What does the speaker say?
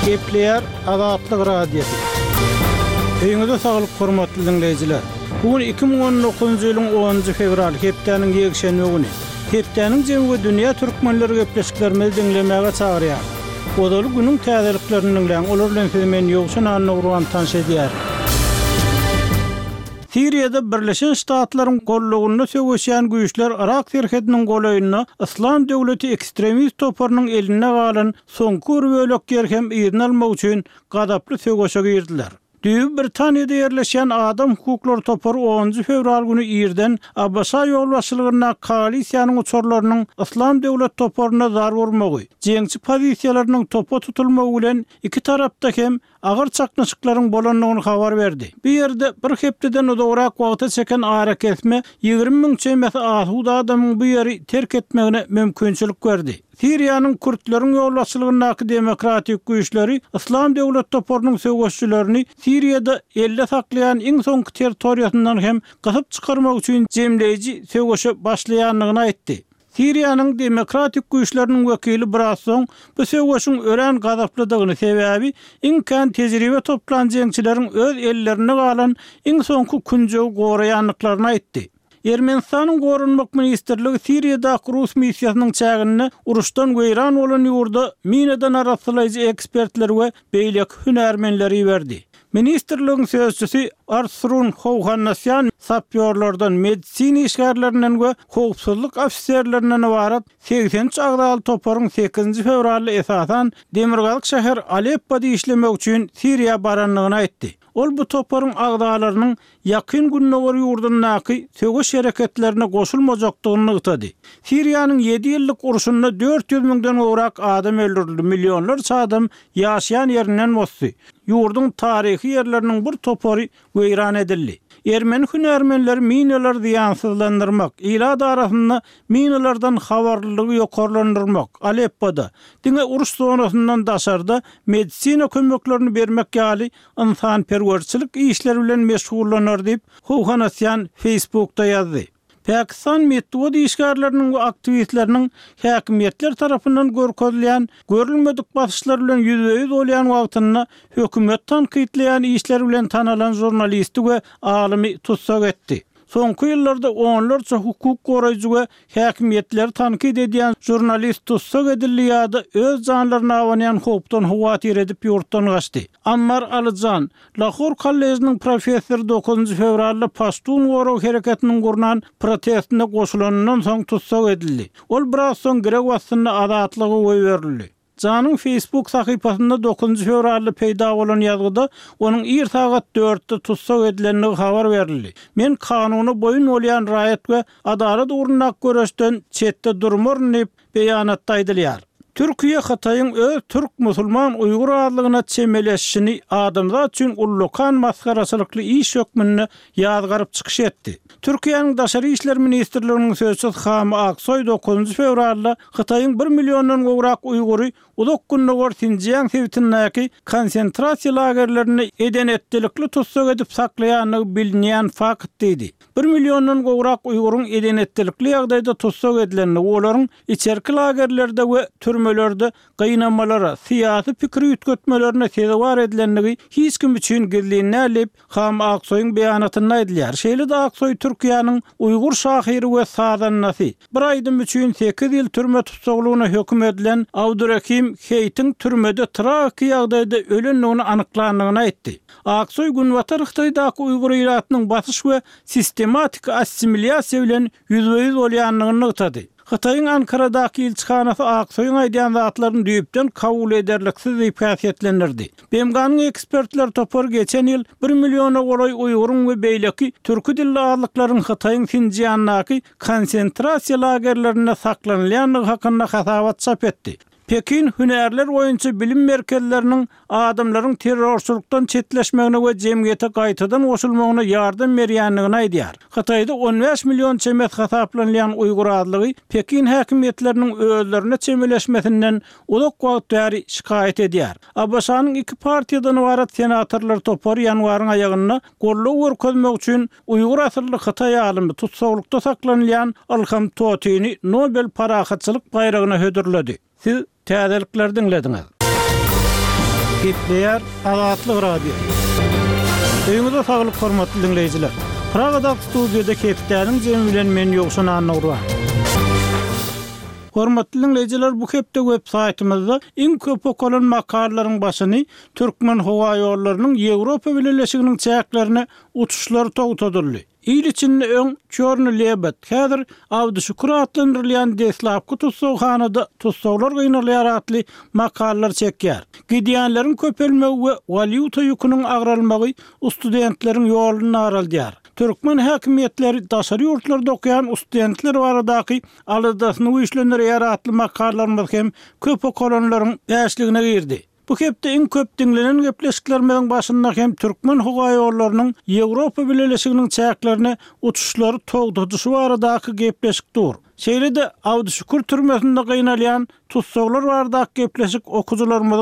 Gepleýär Azatlyk Radiosy. Öýüňize saglyk hormatly diňleýjiler. Bu gün 2019-njy ýylyň 10-njy fewraly, hepdäniň ýekşenbe güni. Hepdäniň jemi we dünýä türkmenleri gepleşiklerimizi diňlemäge çagyrýar. Ozaly günüň täzeliklerini diňläň, olar bilen sizi men Ýowşan Annagurban tanyş edýärin. Siriýada Birleşen Ştatlaryň gollagynda söweşýän güýçler Yrak serhediniň golaýynda Yslam döwleti ekstremist toparynyň elinde galan soňky bir bölek ýer hem yzyna almak üçin gazaply söweşe girdiler. Düýbi Britaniýada ýerleşýän adam hukuklary topary onunjy fewral güni irden ABŞ ýolbaşçylygyndaky koalisiýanyň uçarlarynyň Yslam döwlet toparyna zarba urmagy, jeňçi pozisiýalarynyň topa tutulmagy bilen iki tarapda hem agyr çaknyşyklaryň bolandygyny habar berdi. Bu ýerde bir hepdeden uzagrak wagta çeken arakesme 20 müň çemesi asuda adamyň bu ýeri terk etmegine mümkinçilik berdi. Siriýanyň kürtleriň ýolbaşçylygyndaky demokratik güýçleri Yslam döwlet toparynyň söweşçilerini Siriýada elde saklaýan iň soňky territoriýasyndan hem gysyp çykarmak üçin jemleýji söweşe başlaýandygyny aýtdy. Siriýanyň demokratik güýçleriniň wekili biraz soň bu söweşiň örän gazaplydygyny, sebäbi iň kän tejribe toplan jeňçileriň öz ellerinde galan iň soňky künjegi goraýandyklaryny aýtdy. Ermenistanyň Goranmak ministrligi Siriýadaky rus missiýasynyň çäginde uruşdan weýran bolan ýurda minadan arassalaýjy ekspertleri we beýleki hünärmenleri iberdi. Ministrligiň sözçüsi Artsrun Howhannasýan sapýorlardan, medisina işgärlerinden we howpsuzlyk ofiserlerinden ybarat 83 agzaly toparyň sekizinji fewralda esasan demirgazyk şäher Aleppoda işlemek üçin Siriýa barandygyny aýtdy. Ol bu toparyň agzalarynyň Ýakyn Gündogar ýurdundaky söweş hereketlerine goşulmajakdygyny nygtady. Siriýanyň ýedi ýyllyk urşunda 400 müňden gowrak adam öldürildi, millionlarça adam ýaşaýan ýerinden bosdy, ýurduň taryhy ýerleriniň bir topary weýran edildi. Ermeni hünärmenleri minalary zyýansyzlandyrmak, ilat arasynda minalardan habarlylygy ýokarlandyrmak, Aleppoda, diňe uruş zonasyndan daşarda medisina kömeklerini bermek ýaly ynsanperwerçilik işleri bilen meşgullanar diýip, Howhanasýan Facebookda ýazdy. Pakistan metbugat işgärleriniň we aktiwistleriniň häkimiýetler tarapyndan görkezilýän görülmedik basyşlar bilen ýüzbe-ýüz bolýan wagtynda hökümeti tankytlaýan işleri bilen tanalan žurnalisti we alymy tussag etdi. Soňky ýyllarda onlarça hukuk goraýjy we häkimiýetleri tankyt edýän žurnalist tussag edildi ýa-da öz janlaryna abanýan howpdan howatyr edip ýurtdan gaçdy. Ammar Alyjan, Lahor kolležiniň professory dokuzynjy fewralda Paştun gorag hereketiniň gurnan protestine goşulanyndan soň tussag edildi. Ol biraz soň girew astynda azatlyga goýberildi. Janyň Facebook sahypasynda dokuzynjy fewralda peýda bolan ýazgyda onuň ir sagat dörtde tussag edilendigi habar berildi. Men kanuna boýun bolýan raýat we adalat ugrundaky göreşden çetde durmaryn diýip, beýanatda aýdylýar. Türkiýe Hytaýyň öz türk musulman uýgur azlygyna çemeleşişini adamzat üçin ullakan masgaraçylykly iş hökmünde ýazgaryp çykyş etdi. Türkiýäniň Daşary işler ministrliginiň sözçüsi Hami Aksoý dokuzynjy fewralda Hytaýyň bir milliondan gowrak uýgury Uzak Gündogar Sinjiang sebitindäki konsentrasiýa lagerlerinde eden-etdilikli tussag edip saklaýandygy bilinýän fakt diýdi. Bir milliondan gowrak uýguryň eden-etdilikli ýagdaýda tussag edilendigi, olaryň içerki lagerlerde we türmelerde gynamalara, syýasy pikir üýtgetmelerine sezewar edilendigi hiç kim üçin gizlin däl diýip, Ham Aksoýyň beýanatynda aýdylýar. Şeýle-de Aksoý Türkiýäniň uýgur şahyry we sazandasy, bir aýdym üçin sekiz ýyl türme tussaglygyna höküm edilen Abdurehim Heýtiň türmede tragiki ýagdaýda ölendigini anyklandygyny aýtdy. Aksoý Günbatar Hytaýdaky uýgur ilatynyň basyş we sistematiki assimilýasiýa bilen ýüzbe-ýüz bolýandygyny nygtady. Hytaýyň Ankaradaky ilçihanasy Aksoýyň aýdýan zatlaryny düýpden kabul ederliksiz diýip häsiýetlendirdi. BMG-niň ekspertler topary geçen ýyl bir milliona golaý uýguryň we beýleki türki dilli azlyklaryň Hytaýyň Sinjiandaky konsentrasiýa lagerlerinde saklanylýandygy hakynda hasabat çap etdi. Pekin hünärler boýunça bilim merkezleriniň adamlaryň terrorçylykdan çetleşmegine we jemgyýete gaýtadan goşulmagyna ýardam berýändigini aýdýar. Hytaýda 15 million çemesi hasaplanylýan uýgur azlygy Pekin häkimiýetleriniň özlerine çemeleşmesinden uzak wagt bäri şikaýat edýär. ABŞ-nyň iki partiýadan ybarat senatorlar topary ýanwaryň aýagynda goldaw görkezmek üçin Uýgur asylly hytaý alymy tussaglykda saklanylýan Ylham Totyny Nobel parahatçylyk baýragyna hödürledi. Siz täzelikleri diňlediňiz. Gepleýär Azatlyk Radiosy. Öýüňize saglyk hormatly diňleýjiler. Pragadaky studiýada hepdäniň jemi bilen men Ýowşan Annagurban. Hormatly diňleýjiler bu hepde web saýtymyzda iň köp okalan makalalaryň başyny Türkmenhowaýollarynyň Ýewropa Bileleşiginiň çäklerine uçuşlary togtadyldy. Il içinde öň Çorny lebed, häzir Abdyşükür atlandyrylýan deslapky tussaghanada tussaglar gynalýar atly makalalar çekýär. Gidýänleriň köpelmegi we walýuta ýüküniň agralmagy studentleriň ýoluny daraldýar. Türkmen häkimiýetleri daşary ýurtlarda okaýan studentler baradaky aladasyny güýçlendirýär atly makalalarymyz hem köp okalanlaryň bäşligine girdi. Bu hepde iň köp diňlenen gepleşiklerimiziň başynda hem Türkmenhowaýollarynyň Ýewropa Bileleşiginiň çäklerine uçuşlary togtadyşy baradaky gepleşik dur. Şeýle-de Abdyşükür türmesinde gynalýan tussaglar baradaky gepleşik okyjylarymyzyň.